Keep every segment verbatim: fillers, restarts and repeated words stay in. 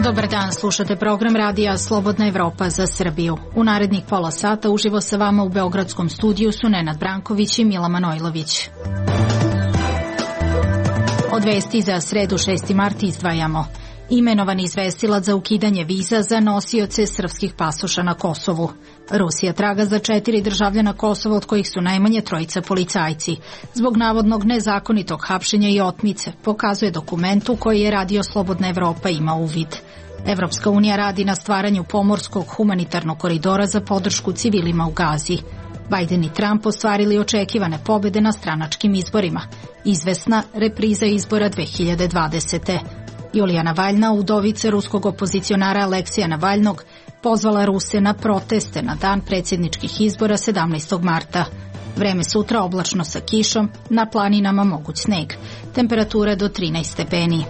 Dobar dan, slušate program radija Slobodna Evropa za Srbiju. U narednih pola sata uživo sa vama u beogradskom studiju su Nenad Branković i Mila Manojlović. Od vesti za sredu šesti mart izdvajamo: imenovan izvestilac za ukidanje viza za nosioce srpskih pasoša na Kosovu. Rusija traga za četiri državljana Kosova, od kojih su najmanje trojica policajci, zbog navodnog nezakonitog hapšenja i otmice, pokazuje dokument u koji je Radio Slobodna Evropa ima uvid. Evropska unija radi na stvaranju pomorskog humanitarnog koridora za podršku civilima u Gazi. Biden i Trump ostvarili očekivane pobede na stranačkim izborima. Izvesna repriza izbora dve hiljade dvadesete. Julija Navalna, udovica ruskog opozicionara Aleksija Navalnog, pozvala Ruse na proteste na dan predsjedničkih izbora sedamnaestog marta. Vreme sutra oblačno sa kišom, na planinama moguć sneg. Temperatura do trinaest stepeni.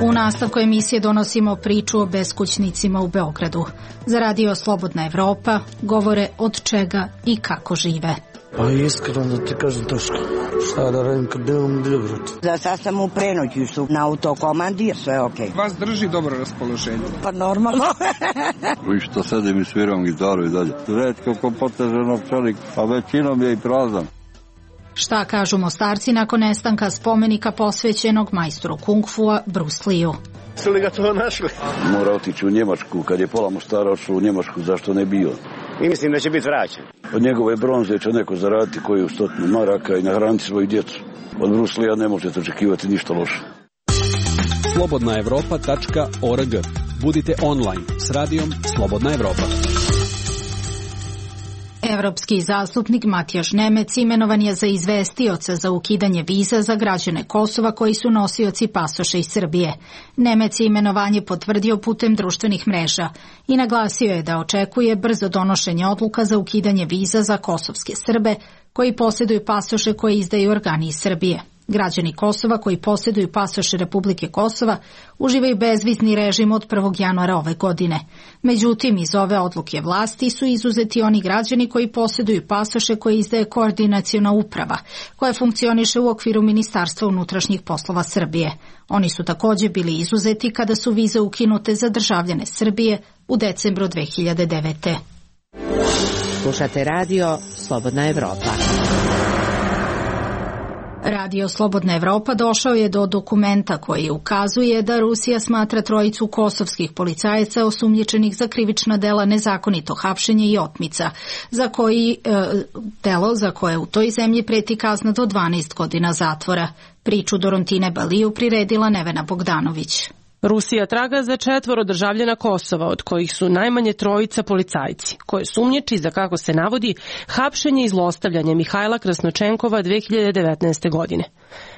U nastavku emisije donosimo priču o beskućnicima u Beogradu. Za Radio Slobodna Evropa govore od čega i kako žive. Pa iskreno da ti kažem teško. Šta da radim kad idem u Beograd? Za sad sam u prenoćištu na autokomandi, sve je okej. Vas drži dobro raspoloženje? Pa normalno. I što sedim i sviram gitaru i dalje. Retko ko poteže novčanik, a većinom je i prazan. Šta kažu Mostarci nakon nestanka spomenika posvećenog majstoru kung-fua Bruce Lee-u? Su li ga to našli? Mora otići u Njemačku, kad je pola Mostara otišlo u Njemačku, zašto ne bio? I mislim da će biti vraćan. Od njegove bronze će neko zaraditi koju stotinu maraka i nahraniti svoju djecu. Od Bruce Lee-a ne možete očekivati ništa loše. slobodna evropa tačka org. Budite online s radijom Slobodna Evropa. Evropski zastupnik Matijaš Nemec imenovan je za izvestioca za ukidanje viza za građane Kosova koji su nosioci pasoša iz Srbije. Nemec je imenovanje potvrdio putem društvenih mreža i naglasio je da očekuje brzo donošenje odluka za ukidanje viza za kosovske Srbe koji posjeduju pasoše koje izdaju organi iz Srbije. Građani Kosova koji posjeduju pasoše Republike Kosova uživaju bezvizni režim od prvog januara ove godine. Međutim, iz ove odluke vlasti su izuzeti oni građani koji posjeduju pasoše koje izdaje koordinaciona uprava, koja funkcioniše u okviru Ministarstva unutrašnjih poslova Srbije. Oni su također bili izuzeti kada su vize ukinute za državljane Srbije u decembru dve hiljade devete. Slušate radio Slobodna Evropa. Radio Slobodna Evropa došao je do dokumenta koji ukazuje da Rusija smatra trojicu kosovskih policajaca osumnjičenih za krivična dela nezakonito hapšenje i otmica, za koji e, delo za koje u toj zemlji preti kazna do dvanaest godina zatvora. Priču Dorontine Baliju priredila Nevena Bogdanović. Rusija traga za četvoro državljana Kosova, od kojih su najmanje trojica policajci, koje sumnjiči za, kako se navodi, hapšenje i zlostavljanje Mihajla Krasnočenkova dve hiljade devetnaeste. godine.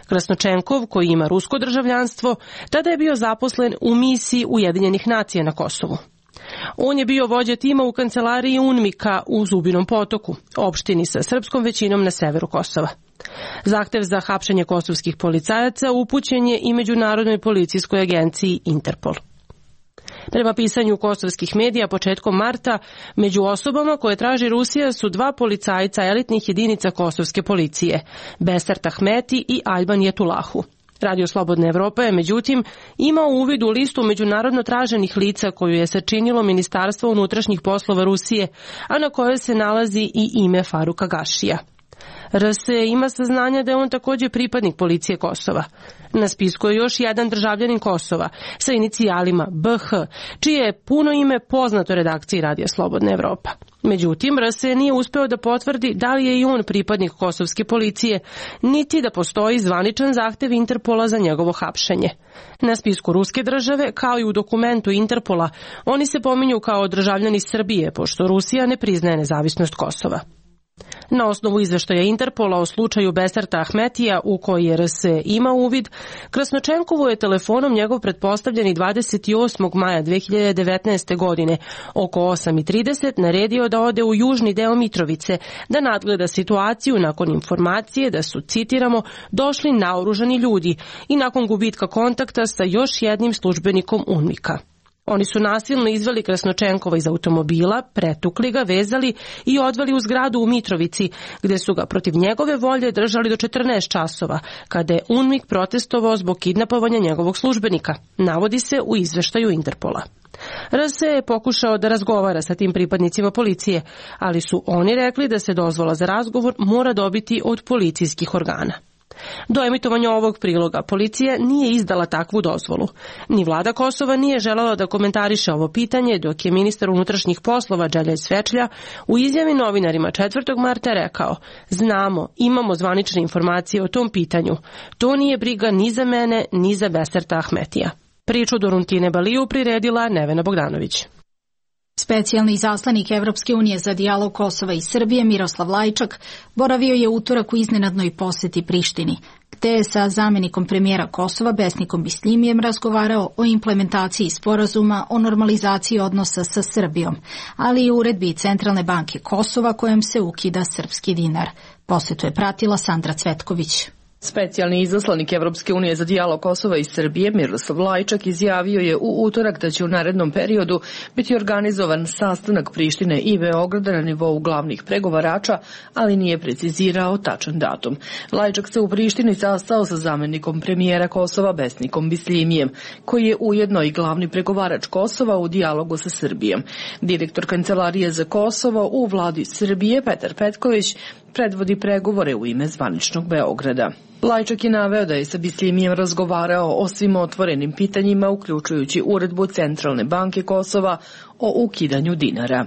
Krasnočenkov, koji ima rusko državljanstvo, tada je bio zaposlen u misiji Ujedinjenih nacija na Kosovu. On je bio vođa tima u kancelariji UNMIK-a u Zubinom Potoku, opštini sa srpskom većinom na severu Kosova. Zahtev za hapšenje kosovskih policajaca upućen je i Međunarodnoj policijskoj agenciji Interpol. Prema pisanju kosovskih medija početkom marta, među osobama koje traži Rusija su dva policajca elitnih jedinica kosovske policije, Besart Ahmeti i Alban Jetulahu. Radio Slobodna Evropa je, međutim, imao uvid u listu međunarodno traženih lica koju je sačinilo Ministarstvo unutrašnjih poslova Rusije, a na kojoj se nalazi i ime Faruka Gašija. R S ima saznanja da je on također pripadnik policije Kosova. Na spisku je još jedan državljanin Kosova sa inicijalima B H, čije je puno ime poznato redakciji Radija Slobodna Evropa. Međutim, R S nije uspeo da potvrdi da li je i on pripadnik kosovske policije, niti da postoji zvaničan zahtev Interpola za njegovo hapšenje. Na spisku ruske države, kao i u dokumentu Interpola, oni se pominju kao državljani Srbije, pošto Rusija ne priznaje nezavisnost Kosova. Na osnovu izveštaja Interpola o slučaju Besarta Ahmetija, u koji je R S ima uvid, Krasnočenkovu je telefonom njegov pretpostavljeni dvadeset osmog maja dve hiljade devetnaeste. godine oko osam i trideset naredio da ode u južni deo Mitrovice da nadgleda situaciju nakon informacije da su, citiramo, došli naoružani ljudi i nakon gubitka kontakta sa još jednim službenikom UNMIK-a. Oni su nasilno izveli Krasnočenkova iz automobila, pretukli ga, vezali i odveli u zgradu u Mitrovici, gde su ga protiv njegove volje držali do četrnaest časova, kada je UNMIK protestovao zbog kidnapovanja njegovog službenika, navodi se u izveštaju Interpola. R S je pokušao da razgovara sa tim pripadnicima policije, ali su oni rekli da se dozvola za razgovor mora dobiti od policijskih organa. Do emitovanja ovog priloga policija nije izdala takvu dozvolu. Ni vlada Kosova nije želela da komentariše ovo pitanje, dok je ministar unutrašnjih poslova Đelja Svečlja u izjavi novinarima četvrtog marta rekao: znamo, imamo zvanične informacije o tom pitanju. To nije briga ni za mene, ni za Beserta Ahmetija. Priču do Runtine Baliju priredila Nevena Bogdanović. Specijalni izaslanik Evropske unije za dijalog Kosova i Srbije Miroslav Lajčak boravio je utorak u iznenadnoj poseti Prištini, gde je sa zamenikom premijera Kosova Besnikom Bislimijem razgovarao o implementaciji sporazuma o normalizaciji odnosa sa Srbijom, ali i uredbi Centralne banke Kosova kojom se ukida srpski dinar. Posetu je pratila Sandra Cvetković. Specijalni izaslanik Evropske unije za dijalog Kosova i Srbije Miroslav Lajčak izjavio je u utorak da će u narednom periodu biti organizovan sastanak Prištine i Beograda na nivou glavnih pregovarača, ali nije precizirao tačan datum. Lajčak se u Prištini sastao sa zamenikom premijera Kosova Besnikom Bislimijem, koji je ujedno i glavni pregovarač Kosova u dijalogu sa Srbijom. Direktor Kancelarije za Kosovo u vladi Srbije Petar Petković predvodi pregovore u ime zvaničnog Beograda. Lajčak je naveo da je sa Bislimijem razgovarao o svim otvorenim pitanjima, uključujući uredbu Centralne banke Kosova o ukidanju dinara.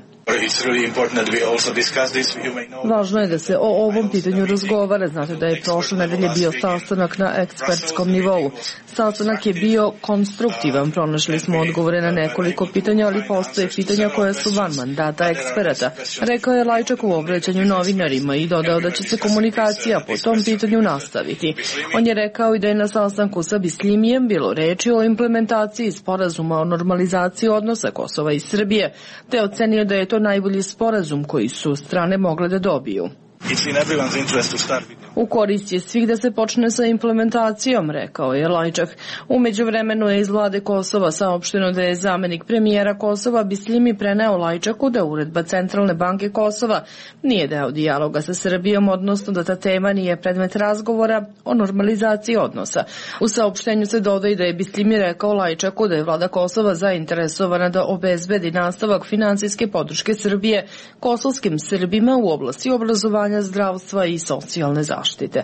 Važno je da se o ovom pitanju razgovara. Znate da je prošle nedelje bio sastanak na ekspertskom nivou. Sastanak je bio konstruktivan, pronašli smo odgovore na nekoliko pitanja, ali postoje pitanja koja su van mandata eksperata, rekao je Lajčak u obraćanju novinarima i dodao da će se komunikacija po tom pitanju nastaviti. On je rekao i da je na sastanku sa Bislimijem bilo reči o implementaciji sporazuma o normalizaciji odnosa Kosova i Srbije, te ocenio da je to najbolji sporazum koji su strane mogle da dobiju. U korist je svih da se počne sa implementacijom, rekao je Lajčak. U međuvremenu je iz vlade Kosova saopšteno da je zamenik premijera Kosova Bislimi preneo Lajčaku da uredba Centralne banke Kosova nije deo dijaloga sa Srbijom, odnosno da ta tema nije predmet razgovora o normalizaciji odnosa. U saopštenju se dodaje da je Bislimi rekao Lajčaku da je vlada Kosova zainteresovana da obezbedi nastavak finansijske podrške Srbije kosovskim Srbima u oblasti obrazovanja, zdravstva i socijalne zaštite.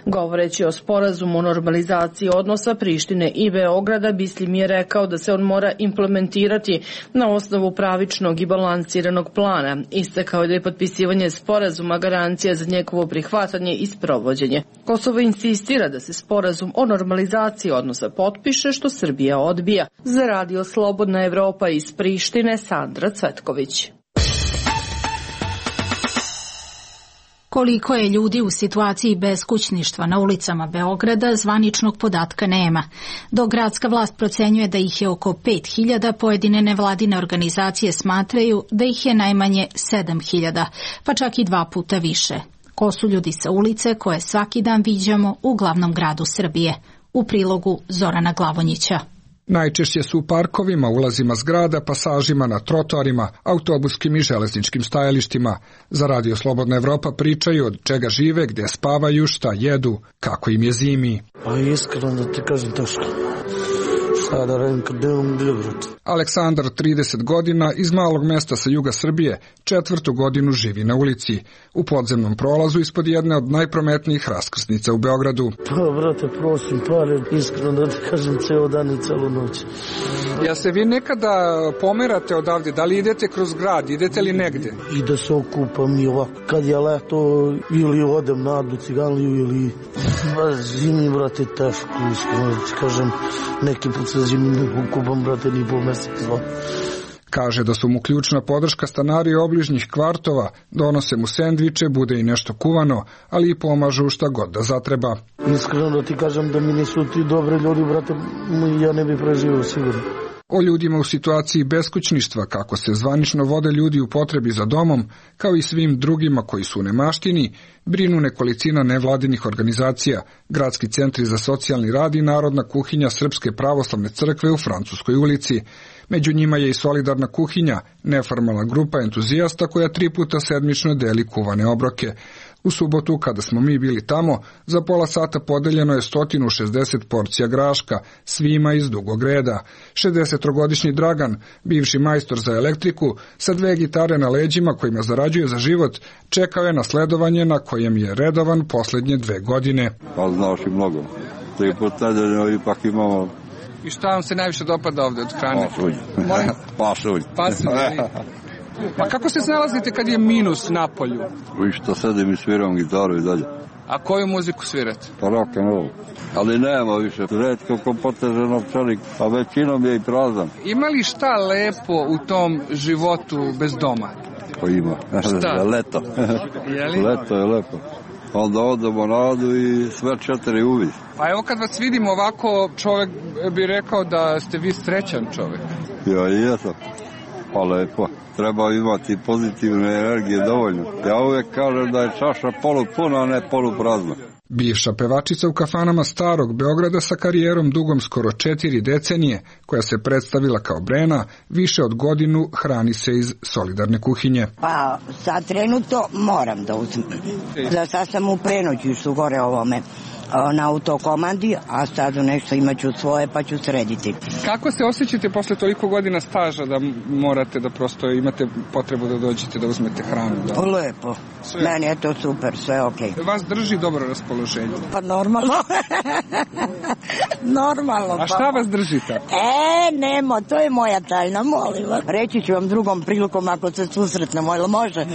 Govoreći o sporazumu o normalizaciji odnosa Prištine i Beograda, Bislimi je rekao da se on mora implementirati na osnovu pravičnog i balansiranog plana. Istakao je da je potpisivanje sporazuma garancija za njegovo prihvatanje i sprovođenje. Kosovo insistira da se sporazum o normalizaciji odnosa potpiše, što Srbija odbija. Za radio Slobodna Evropa iz Prištine, Sandra Cvetković. Koliko je ljudi u situaciji beskućništva na ulicama Beograda, zvaničnog podatka nema. Dok gradska vlast procenjuje da ih je oko pet hiljada, pojedine nevladine organizacije smatraju da ih je najmanje sedam hiljada, pa čak i dva puta više. Ko su ljudi sa ulice koje svaki dan viđamo u glavnom gradu Srbije? U prilogu Zorana Glavonjića. Najčešće su u parkovima, ulazima zgrada, pasažima na trotoarima, autobuskim i železničkim stajalištima. Za radio Slobodna Evropa pričaju od čega žive, gde spavaju, šta jedu, kako im je zimi. Pa iskreno da ti kažem teško. Šta da radim kad nemam gdje, brate. Aleksandar, trideset godina, iz malog mesta sa juga Srbije, četvrtu godinu živi na ulici, u podzemnom prolazu ispod jedne od najprometnijih raskrsnica u Beogradu. Pa, brate, prosim pare, iskreno da ti kažem, ceo dan i celu noć. Ja se vi nekada pomerate odavde, da li idete kroz grad, idete li negde? I da se okupam i ovako, kad je leto, ili odem na Adu Ciganliju, ili zimi, brate, teško, iskreno da ti kažem, neki put se zimi ne okupam, brate, ni po mesec. Kaže da su mu ključna podrška stanari obližnjih kvartova, donose mu sendviče, bude i nešto kuvano, ali i pomažu šta god da zatreba. Iskreno da ti kažem da mi nisu ti dobri ljudi, brate, ja ne bi preživio sigurno. O ljudima u situaciji beskućništva, kako se zvanično vode ljudi u potrebi za domom, kao i svim drugima koji su u nemaštini, brinu nekolicina nevladinih organizacija, gradski centri za socijalni rad i Narodna kuhinja Srpske pravoslavne crkve u Francuskoj ulici. Među njima je i Solidarna kuhinja, neformalna grupa entuzijasta koja tri puta sedmično deli kuvane obroke. U subotu, kada smo mi bili tamo, za pola sata podeljeno je sto šezdeset porcija graška, svima iz dugog reda. šezdesettrogodišnji Dragan, bivši majstor za elektriku, sa dve gitare na leđima kojima zarađuje za život, čekao je na sledovanje na kojem je redovan poslednje dve godine. Pa znaš i mnogo. Tri puta nedeljno ipak imamo. I šta vam se najviše dopada ovde od hrane? Pasulj. Pasulj. Pasulj. A kako se snalazite kad je minus na polju? Vi što sedim i sviram gitaru i dalje. A koju muziku svirate? Pa rock and roll. Ali nema više. Redko ko poteže novčanik, a većinom je i prazan. Ima li šta lepo u tom životu bez doma? Pa ima. Šta? Leto. Leto je lepo. Onda odemo na Adu i sve četiri uvi. Pa evo kad vas vidimo ovako, čovjek bi rekao da ste vi srećan čovjek. Ja i jesam. Pa lepo. Treba imati pozitivne energije dovoljno. Ja uvijek kažem da je čaša polupuna, a ne poluprazna. Bivša pevačica u kafanama starog Beograda sa karijerom dugom skoro četiri decenije, koja se predstavila kao Brena, više od godinu hrani se iz Solidarne kuhinje. Pa sad trenutno moram da uzmem. Za sad sam u prenoćištu gore ovome na autokomandi, a sad nešto imaću svoje pa ću srediti. Kako se osjećate posle toliko godina staža da morate da prosto imate potrebu da dođete da uzmete hranu? Da? Lepo. Sve. Meni je to super, sve okej. Okay. Vas drži dobro raspoloženje? Pa normalno. Normalno. A šta vas drži tako? E, nemo, to je moja tajna, molim vas. Reći ću vam drugom prilikom ako se susretnemo, ili može?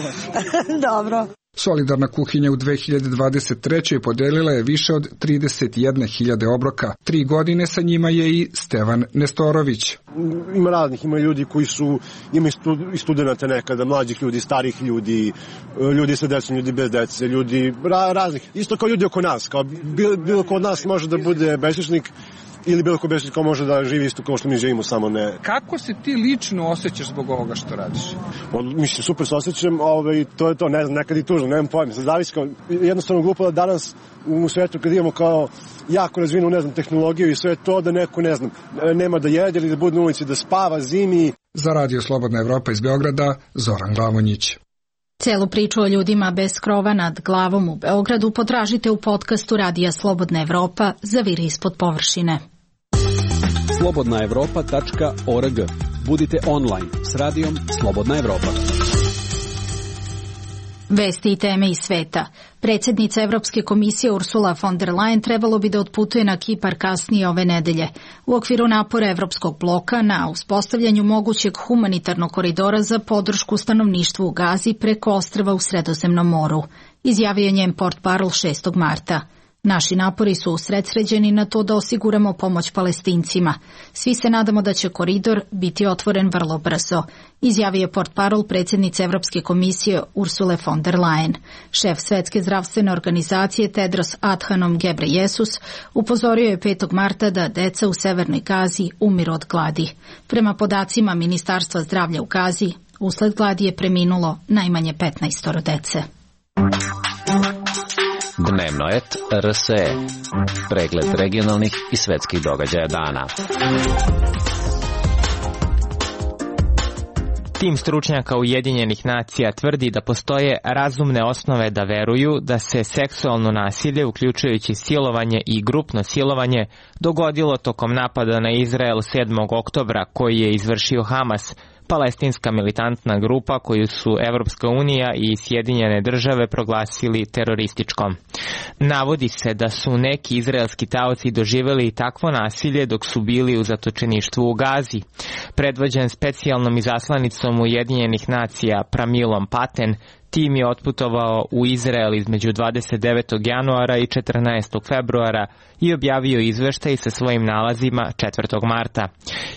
Dobro. Solidarna kuhinja u dve hiljade dvadeset trećoj podelila je više od trideset jedne hiljade obroka. Tri godine sa njima je i Stevan Nestorović. Ima raznih, ima ljudi koji su, ima i studenta nekada, mlađih ljudi, starih ljudi, ljudi sa decom, ljudi bez dece, ljudi ra, raznih. Isto kao ljudi oko nas, kao bilo, bilo ko od nas može da bude besličnik, ili bilo ko besličnik ko može da živi isto kao što mi živimo, samo ne. Kako se ti lično osjećaš zbog ovoga što radiš? On, mislim, super se osjećam, ovaj, to je to, ne znam, nekad i tužno, nemam pojma. Sad zavisi kao, jednostavno glupo da danas u svetu kad imamo kao jako razvinu, ne znam, tehnologiju i sve to, da neko, ne znam, nema da jede ili da bude na ulici, da spava zimi. Za Radio Slobodna Evropa iz Beograda, Zoran Glavonjić. Celu priču o ljudima bez krova nad glavom u Beogradu potražite u podcastu Radija Slobodna Evropa Zaviri ispod površine. slobodna evropa tačka org. Budite online s Radijom Slobodna Evropa. Vesti i teme iz sveta. Predsjednica Evropske komisije Ursula von der Leyen trebalo bi da otputuje na Kipar kasnije ove nedelje. U okviru napora Evropskog bloka na uspostavljanju mogućeg humanitarnog koridora za podršku stanovništvu u Gazi preko ostrva u Sredozemnom moru, izjavio je njen portparol šestog marta. Naši napori su usredsređeni na to da osiguramo pomoć Palestincima. Svi se nadamo da će koridor biti otvoren vrlo brzo, izjavio je portparol predsjednice Evropske komisije Ursule von der Leyen. Šef Svetske zdravstvene organizacije Tedros Adhanom Ghebreyesus upozorio je petog marta da deca u Severnoj Gazi umiru od gladi. Prema podacima Ministarstva zdravlja u Gazi, usled gladi je preminulo najmanje petnaestoro dece. Dnevnoet R S E. Pregled regionalnih i svetskih događaja dana. Tim stručnjaka Ujedinjenih nacija tvrdi da postoje razumne osnove da veruju da se seksualno nasilje, uključujući silovanje i grupno silovanje, dogodilo tokom napada na Izrael sedmog oktobra koji je izvršio Hamas, palestinska militantna grupa koju su Evropska unija i Sjedinjene države proglasili terorističkom. Navodi se da su neki izraelski taoci doživjeli takvo nasilje dok su bili u zatočeništvu u Gazi. Predvođen specijalnom izaslanicom Ujedinjenih nacija Pramilom Paten, tim je otputovao u Izrael između dvadeset devetog januara i četrnaestog februara i objavio izveštaj sa svojim nalazima četvrtog marta.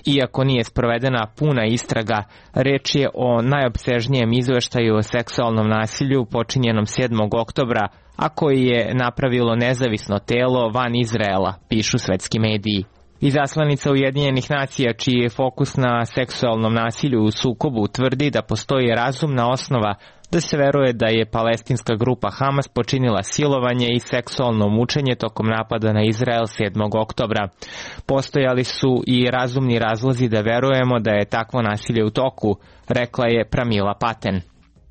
Iako nije sprovedena puna istraga, reč je o najopsežnijem izveštaju o seksualnom nasilju počinjenom sedmog oktobra, a koji je napravilo nezavisno telo van Izraela, pišu svetski mediji. Izaslanica Ujedinjenih nacija, čiji je fokus na seksualnom nasilju u sukobu, tvrdi da postoji razumna osnova da se veruje da je palestinska grupa Hamas počinila silovanje i seksualno mučenje tokom napada na Izrael sedmog oktobra. Postojali su i razumni razlozi da verujemo da je takvo nasilje u toku, rekla je Pramila Paten.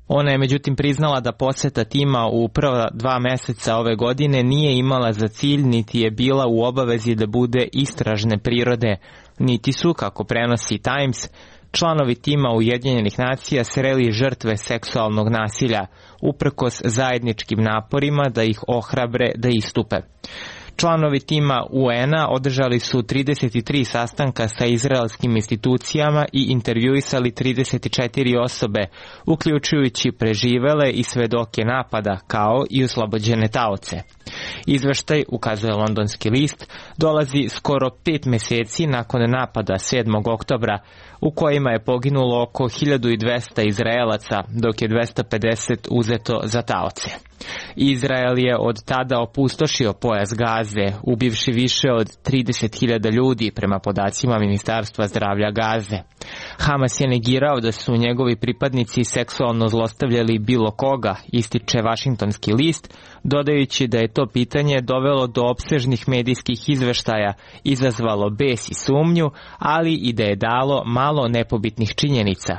Ona je međutim priznala da poseta tima u prva dva meseca ove godine nije imala za cilj niti je bila u obavezi da bude istražne prirode, niti su, kako prenosi Times, članovi tima Ujedinjenih nacija sreli žrtve seksualnog nasilja, uprkos zajedničkim naporima da ih ohrabre da istupe. Članovi tima U N-a održali su trideset tri sastanka sa izraelskim institucijama i intervjuisali trideset četiri osobe, uključujući preživele i svedoke napada, kao i oslobođene taoce. Izveštaj, ukazuje londonski list, dolazi skoro pet meseci nakon napada sedmog oktobra, u kojima je poginulo oko hiljadu dvesta Izraelaca, dok je dvesta pedeset uzeto za taoce. Izrael je od tada opustošio pojas Gaze, ubivši više od trideset hiljada ljudi, prema podacima Ministarstva zdravlja Gaze. Hamas je negirao da su njegovi pripadnici seksualno zlostavljali bilo koga, ističe Washingtonski list, dodajući da je to pitanje dovelo do opsežnih medijskih izveštaja, izazvalo bes i sumnju, ali i da je dalo malo nepobitnih činjenica.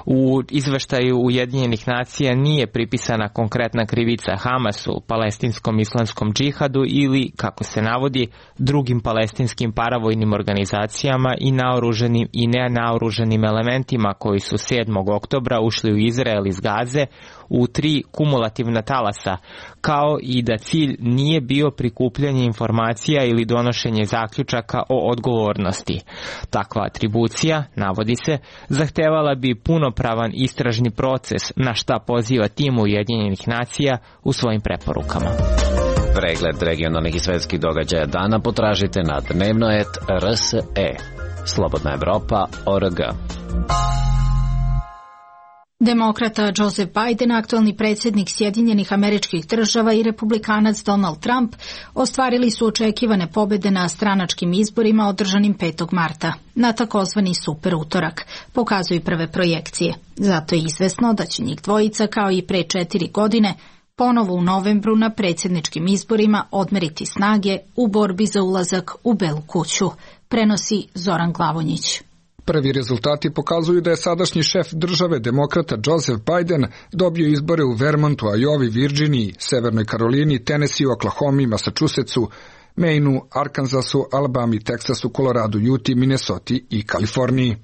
U izveštaju Ujedinjenih nacija nije pripisana konkretna krivica Hamasu, palestinskom islamskom džihadu ili, kako se navodi, drugim palestinskim paravojnim organizacijama i naoruženim i nenaoruženim elementima koji su sedmog oktobra ušli u Izrael iz Gaze u tri kumulativna talasa, kao i da cilj nije bio prikupljanje informacija ili donošenje zaključaka o odgovornosti. Takva atribucija, navodi se, zahtevala bi punopravan istražni proces, na šta poziva tim Ujedinjenih nacija u svojim preporukama. Pregled regionalnih i svetskih događaja dana potražite na dnevnoet R S E. Slobodna Evropa точка org. Demokrata Joseph Biden, aktualni predsjednik Sjedinjenih Američkih Država i republikanac Donald Trump ostvarili su očekivane pobjede na stranačkim izborima održanim petog marta, na takozvani super utorak, pokazuju prve projekcije. Zato je izvesno da će njih dvojica, kao i pre četiri godine, ponovo u novembru na predsjedničkim izborima odmeriti snage u borbi za ulazak u Belu kuću, prenosi Zoran Glavonjić. Prvi rezultati pokazuju da je sadašnji šef države, demokrata Joseph Biden, dobio izbore u Vermontu, Iowi, Virginiji, Severnoj Karolini, Tennessee, Oklahomi, Massachusettsu, Mainu, Arkansasu, Alabami, Teksasu, Koloradu, Juti, Minnesoti i Kaliforniji.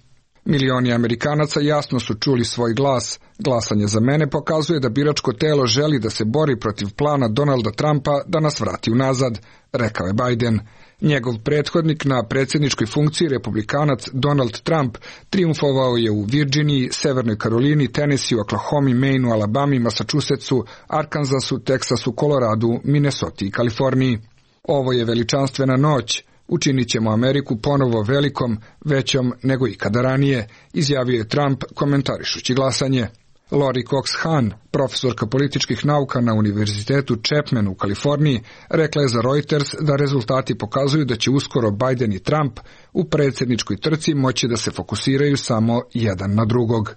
Milioni Amerikanaca jasno su čuli svoj glas. Glasanje za mene pokazuje da biračko telo želi da se bori protiv plana Donalda Trumpa da nas vrati unazad, rekao je Biden. Njegov prethodnik na predsjedničkoj funkciji, republikanac Donald Trump, triumfovao je u Virginiji, Severnoj Karolini, Tennessee, Oklahomi, Mainu, Alabami, Massachusettsu, Arkansasu, Teksasu, Koloradu, Minnesoti i Kaliforniji. Ovo je veličanstvena noć. Učinit ćemo Ameriku ponovo velikom, većom nego ikada ranije, izjavio je Trump komentarišući glasanje. Lori Cox Han, profesorka političkih nauka na Univerzitetu Chapman u Kaliforniji, rekla je za Reuters da rezultati pokazuju da će uskoro Biden i Trump u predsjedničkoj trci moći da se fokusiraju samo jedan na drugog.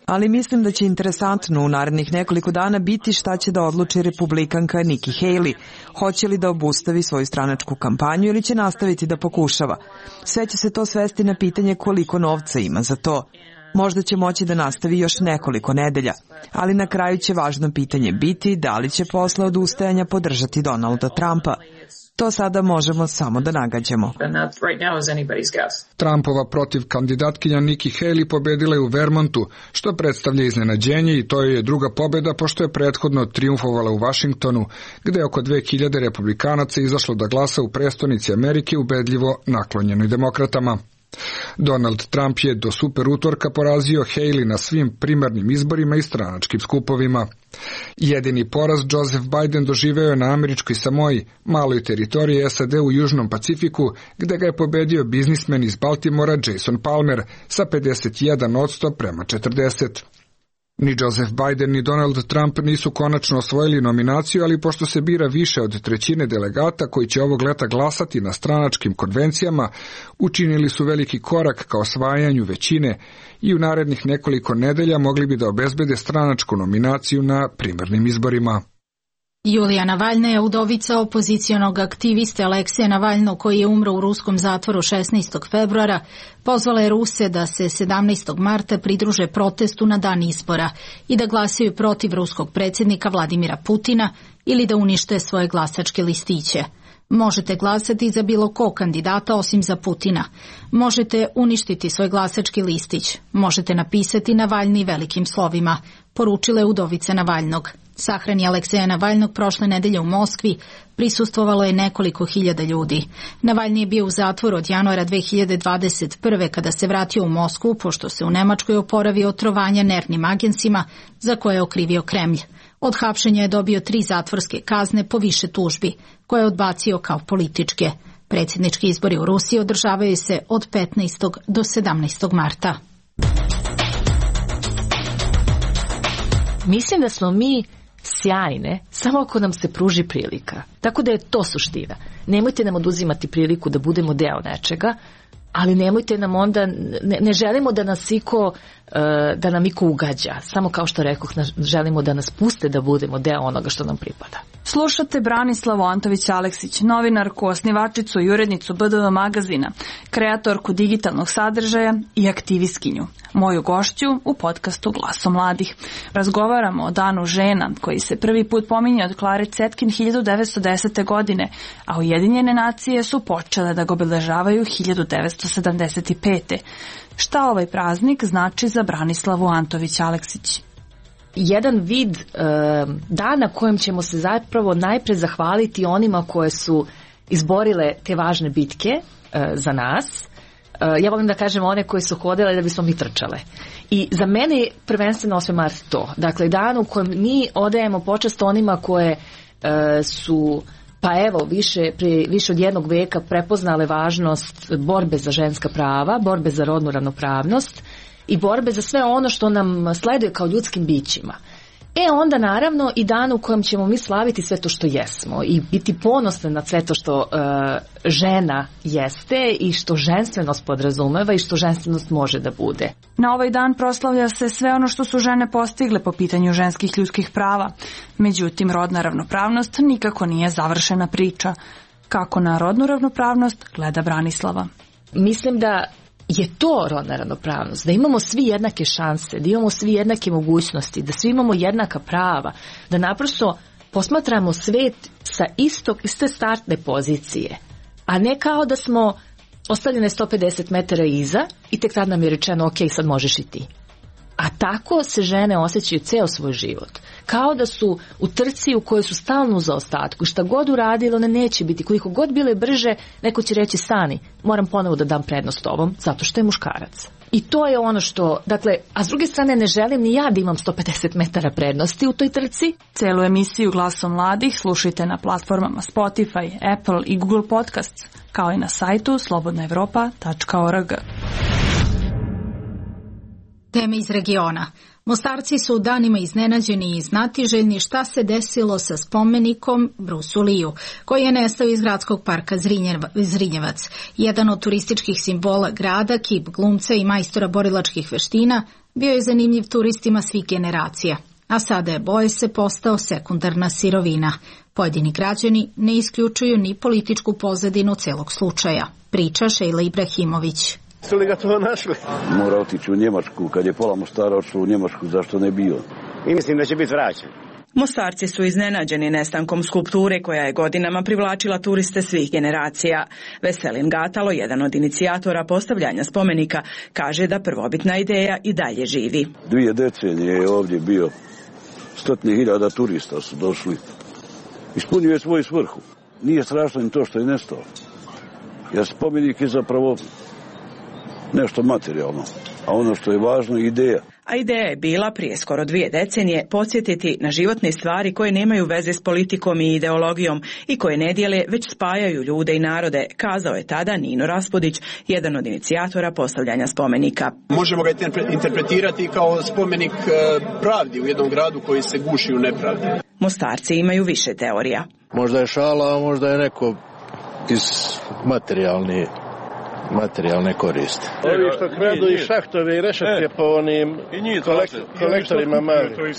Ali mislim da će interesantno u narednih nekoliko dana biti šta će da odluči republikanka Nikki Haley. Hoće li da obustavi svoju stranačku kampanju ili će nastaviti da pokušava. Sve će se to svesti na pitanje koliko novca ima za to. Možda će moći da nastavi još nekoliko nedelja, ali na kraju će važno pitanje biti da li će posle odustajanja podržati Donalda Trumpa. To sada možemo samo da nagađamo. Trumpova protiv kandidatkinja Nikki Haley pobedila je u Vermontu, što predstavlja iznenađenje i to je druga pobeda pošto je prethodno triumfovala u Washingtonu, gde je oko dve hiljade republikanaca izašlo da glasa u prestonici Amerike ubedljivo naklonjenoj demokratama. Donald Trump je do super utorka porazio Haley na svim primarnim izborima i stranačkim skupovima. Jedini poraz Joseph Biden doživeo je na američkoj Samoji, maloj teritoriji S A D u Južnom Pacifiku, gde ga je pobedio biznismen iz Baltimora Jason Palmer sa pedeset jedan odsto prema četrdeset. Ni Joseph Biden ni Donald Trump nisu konačno osvojili nominaciju, ali pošto se bira više od trećine delegata koji će ovog leta glasati na stranačkim konvencijama, učinili su veliki korak ka osvajanju većine i u narednih nekoliko nedelja mogli bi da obezbede stranačku nominaciju na primarnim izborima. Julija Navalna je udovica opozicionog aktiviste Alekseja Navalnog, koji je umro u ruskom zatvoru šesnaestog februara, pozvala je Ruse da se sedamnaestog marta pridruže protestu na dan izbora i da glasaju protiv ruskog predsjednika Vladimira Putina ili da unište svoje glasačke listiće. Možete glasati za bilo kog kandidata osim za Putina. Možete uništiti svoj glasački listić. Možete napisati Navalni velikim slovima, poručila je udovica Navalnog. Sahrani Alekseja Navalnog prošle nedelje u Moskvi prisustvovalo je nekoliko hiljada ljudi. Navalni je bio u zatvoru od januara dve hiljade dvadeset prve kada se vratio u Moskvu, pošto se u Nemačkoj oporavio od trovanja nervnim agensima za koje je okrivio Kremlj. Od hapšenja je dobio tri zatvorske kazne po više tužbi, koje je odbacio kao političke. Predsjednički izbori u Rusiji održavaju se od petnaestog do sedamnaestog marta. Mislim da smo mi sjajne samo ako nam se pruži prilika. Tako da je to suština. Nemojte nam oduzimati priliku da budemo deo nečega, ali nemojte nam onda, ne, ne želimo da nas iko, da nam iko ugađa. Samo kao što rekoh, želimo da nas puste da budemo deo onoga što nam pripada. Slušate Branislavu Antović-Aleksić, novinarku, osnivačicu i urednicu B D V magazina, kreatorku digitalnog sadržaja i aktivistkinju. Moju gošću u podcastu Glaso mladih. Razgovaramo o Danu žena, koji se prvi put pominje od Klare Cetkin hiljadu devetsto desete. godine, a Ujedinjene nacije su počele da ga obeležavaju hiljadu devetsto sedamdeset pete. Šta ovaj praznik znači za Branislavu Antović-Aleksić? Jedan vid e, dana kojem ćemo se zapravo najpre zahvaliti onima koje su izborile te važne bitke e, za nas. E, ja volim da kažem one koje su hodile da bismo mi trčale. I za mene je prvenstveno osmi mart to. Dakle, dan u kojem mi odajemo počast onima koje e, su pa evo više, prije više od jednog veka prepoznale važnost borbe za ženska prava, borbe za rodnu ravnopravnost i borbe za sve ono što nam sleduje kao ljudskim bićima. E onda naravno i dan u kojem ćemo mi slaviti sve to što jesmo i biti ponosni na sve to što e, žena jeste i što ženstvenost podrazumeva i što ženstvenost može da bude. Na ovaj dan proslavlja se sve ono što su žene postigle po pitanju ženskih ljudskih prava. Međutim, rodna ravnopravnost nikako nije završena priča. Kako na rodnu ravnopravnost gleda Branislava? Mislim da je to rodna ravnopravnost, da imamo svi jednake šanse, da imamo svi jednake mogućnosti, da svi imamo jednaka prava, da naprosto posmatramo svet sa istog, iste startne pozicije, a ne kao da smo ostavljene sto pedeset metara iza i tek tad nam je rečeno ok, sad možeš i ti. A tako se žene osjećaju ceo svoj život. Kao da su u trci u kojoj su stalno u zaostatku. Šta god uradilo, one neće biti. Koliko god bile brže, neko će reći stani, moram ponovo da dam prednost ovom, zato što je muškarac. I to je ono što, dakle, a s druge strane ne želim ni ja da imam sto pedeset metara prednosti u toj trci. Celu emisiju Glaso mladih slušajte na platformama Spotify, Apple i Google Podcasts, kao i na sajtu slobodna evropa tačka org. Teme iz regiona. Mostarci su danima iznenađeni i znatiželjni šta se desilo sa spomenikom Brusu Liju, koji je nestao iz gradskog parka Zrinjevac. Jedan od turističkih simbola grada, kip glumca i majstora borilačkih veština, bio je zanimljiv turistima svih generacija. A sada je, boje se, postao sekundarna sirovina. Pojedini građani ne isključuju ni političku pozadinu celog slučaja, priča Šejla Ibrahimović. Su li ga to našli? Mora otići u Njemačku, kad je pola Mostara otišlo u Njemačku, zašto ne bio? I mislim da će biti vraćen. Mostarci su iznenađeni nestankom skulpture koja je godinama privlačila turiste svih generacija. Veselin Gatalo, jedan od inicijatora postavljanja spomenika, kaže da prvobitna ideja i dalje živi. Dvije decenije je ovdje bio, stotine hiljada turista su došli. Ispunjuje svoju svrhu. Nije strašno ni to što je nestao. Jer spomenik je zapravo nešto materijalno, a ono što je važno je ideja. A a ideja je bila prije skoro dvije decenije podsjetiti na životne stvari koje nemaju veze s politikom i ideologijom i koje ne dijele već spajaju ljude i narode, kazao je tada Nino Raspudić, jedan od inicijatora postavljanja spomenika. Možemo ga interpretirati kao spomenik pravdi u jednom gradu koji se guši u nepravdi. Mostarci imaju više teorija. Možda je šala, a možda je neko iz materijalne materijalne koriste. Ovi što kradu i šahtove i rešetke po onim kolektorima mali.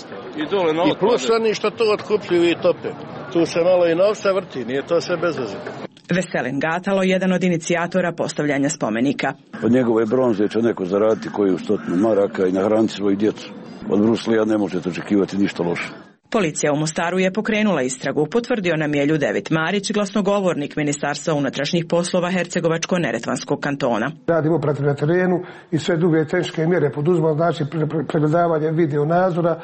I plus oni što to otkupljuju i tope. Tu se malo i novca vrti, nije to sve bez veze. Veselin Gatalo, jedan od inicijatora postavljanja spomenika. Od njegove bronze će neko zaraditi koju stotinu maraka i nahraniti svoju djecu. Od Bruce Lee ne možete očekivati ništa loše. Policija u Mostaru je pokrenula istragu, potvrdio nam je Ljudevit Marić, glasnogovornik Ministarstva unutrašnjih poslova Hercegovačko-neretvanskog kantona. Radimo protiv na terenu i sve druge teške mjere poduzimamo, znači pregledavanje video nadzora,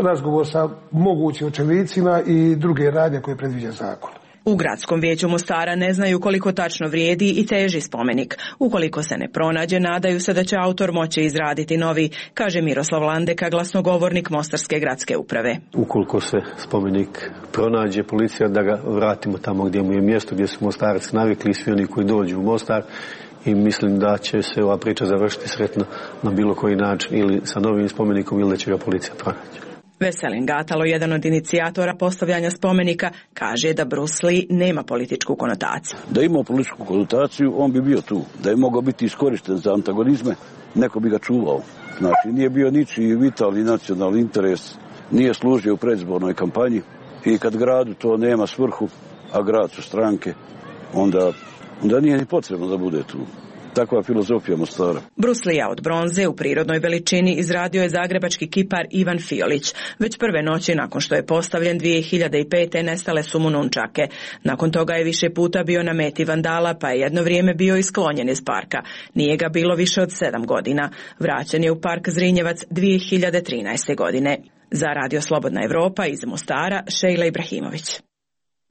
razgovor sa mogućim očevicima i druge radnje koje predviđa zakon. U gradskom vijeću Mostara ne znaju koliko tačno vrijedi i teži spomenik. Ukoliko se ne pronađe, nadaju se da će autor moći izraditi novi, kaže Miroslav Landeka, glasnogovornik Mostarske gradske uprave. Ukoliko se spomenik pronađe, policija da ga vratimo tamo gdje mu je mjesto, gdje su Mostarci navikli, svi oni koji dođu u Mostar, i mislim da će se ova priča završiti sretno na bilo koji način, ili sa novim spomenikom ili da će ga policija pronaći. Veselin Gatalo, jedan od inicijatora postavljanja spomenika, kaže da Bruce Lee nema političku konotaciju. Da ima političku konotaciju, on bi bio tu. Da je mogao biti iskorišten za antagonizme, neko bi ga čuvao. Znači, nije bio ničiji vitalni nacionalni interes, nije služio u predizbornoj kampanji i kad gradu to nema svrhu, a grad su stranke, onda, onda nije ni potrebno da bude tu. Takva filozofija Mostara. Bruce Lee od bronze u prirodnoj veličini izradio je zagrebački kipar Ivan Fiolić. Već prve noći nakon što je postavljen dvije hiljade pete. nestale su mu nunčake. Nakon toga je više puta bio na meti vandala, pa je jedno vrijeme bio isklonjen iz parka. Nije ga bilo više od sedam godina. Vraćen je u park Zrinjevac dvije hiljade trinaeste. godine. Za Radio Slobodna Evropa iz Mostara, Šejla Ibrahimović.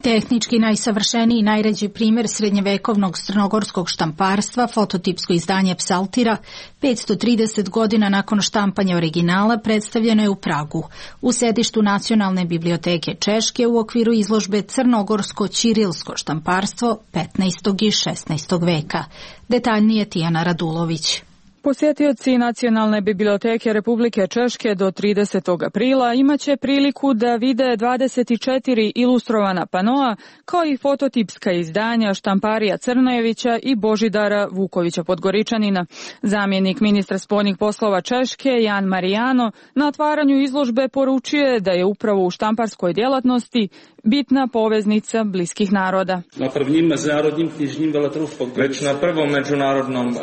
Tehnički najsavršeniji i najređi primjer srednjevekovnog crnogorskog štamparstva, fototipsko izdanje Psaltira, petsto trideset godina nakon štampanja originala, predstavljeno je u Pragu, u sedištu Nacionalne biblioteke Češke u okviru izložbe Crnogorsko-ćirilsko štamparstvo petnaestog i šesnaestog. veka. Detaljnije Tijana Radulović. Posjetioci Nacionalne biblioteke Republike Češke do tridesetog aprila imaće priliku da vide dvadeset četiri ilustrovana panoa, kao i fototipska izdanja Štamparija Crnojevića i Božidara Vukovića Podgoričanina. Zamjenik ministra spoljnih poslova Češke, Jan Marijano, na otvaranju izložbe poručuje da je upravo u štamparskoj djelatnosti bitna poveznica bliskih naroda. Na prvním mezinárodním knižním veletrhu v Podgorici. Već na prvom međunarodnom uh,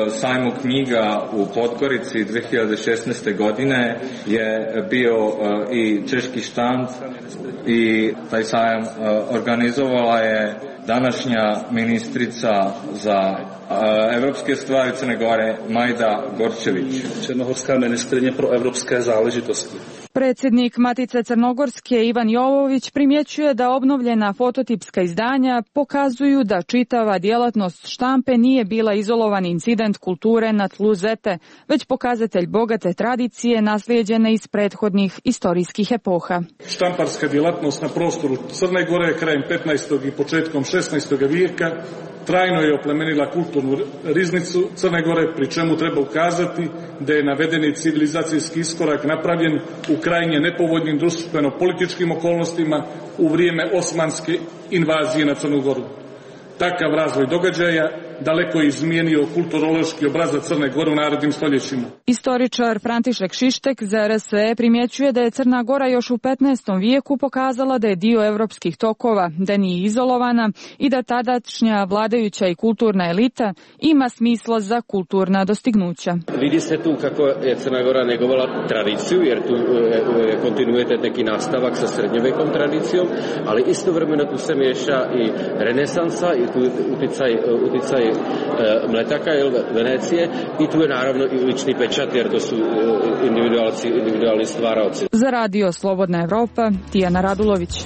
sajmu knjiga u Podgorici dvije hiljade šesnaeste. godine je bio uh, i češki štand i taj sajam uh, organizovala je današnja ministrica za uh, evropske stvari Crne Gore Majda Gorčević. Černohorská ministrině pro evropské záležitosti. Predsjednik Matice Crnogorske Ivan Jovović primjećuje da obnovljena fototipska izdanja pokazuju da čitava djelatnost štampe nije bila izolovan incident kulture na tlu Zete, već pokazatelj bogate tradicije naslijeđene iz prethodnih istorijskih epoha. Štamparska djelatnost na prostoru Crne Gore krajem petnaestog i početkom šesnaestog. vijeka trajno je oplemenila kulturnu riznicu Crne Gore, pri čemu treba ukazati da je navedeni civilizacijski iskorak napravljen u krajnje nepovoljnim društveno-političkim okolnostima u vrijeme osmanske invazije na Crnu Goru. Takav razvoj događaja daleko je izmijenio kulturološki obrazac Crne Gore u narednim stoljećima. Istoričar František Šištek za R S E primjećuje da je Crna Gora još u petnaestom. vijeku pokazala da je dio evropskih tokova, da nije izolovana i da tadašnja vladajuća i kulturna elita ima smisla za kulturna dostignuća. Vidi se tu kako je Crna Gora negovala tradiciju, jer tu je kontinuitet neki nastavak sa srednjovekom tradicijom, ali istovremeno tu se miješa i renesansa i tu uticaj, uticaj Mletaka ili Venecije i tu je naravno i lični pečat jer to su individualci, individualni stvaraoci. Za Radio Slobodna Evropa, Tijana Radulović.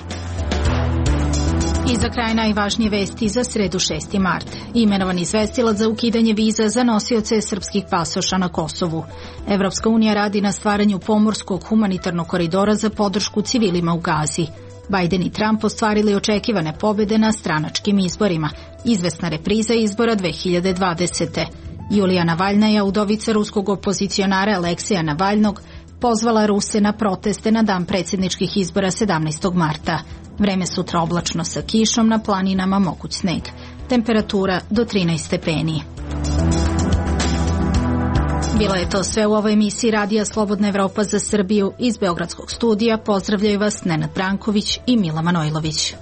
I za kraj najvažnije vesti za sredu šesti mart. Imenovan izvestilac za ukidanje viza za nosioce srpskih pasoša na Kosovu. Evropska unija radi na stvaranju pomorskog humanitarnog koridora za podršku civilima u Gazi. Biden i Trump ostvarili očekivane pobjede na stranačkim izborima. Izvesna repriza izbora dve hiljade dvadesete. Julija Navalnaja, udovica ruskog opozicionara Aleksija Navalnog, pozvala Ruse na proteste na dan predsjedničkih izbora sedamnaestog marta. Vreme sutra oblačno sa kišom, na planinama moguć sneg. Temperatura do trinaest stepeni. Bilo je to sve u ovoj emisiji Radija Slobodna Evropa za Srbiju. Iz Beogradskog studija pozdravljaju vas Nenad Branković i Mila Manojlović.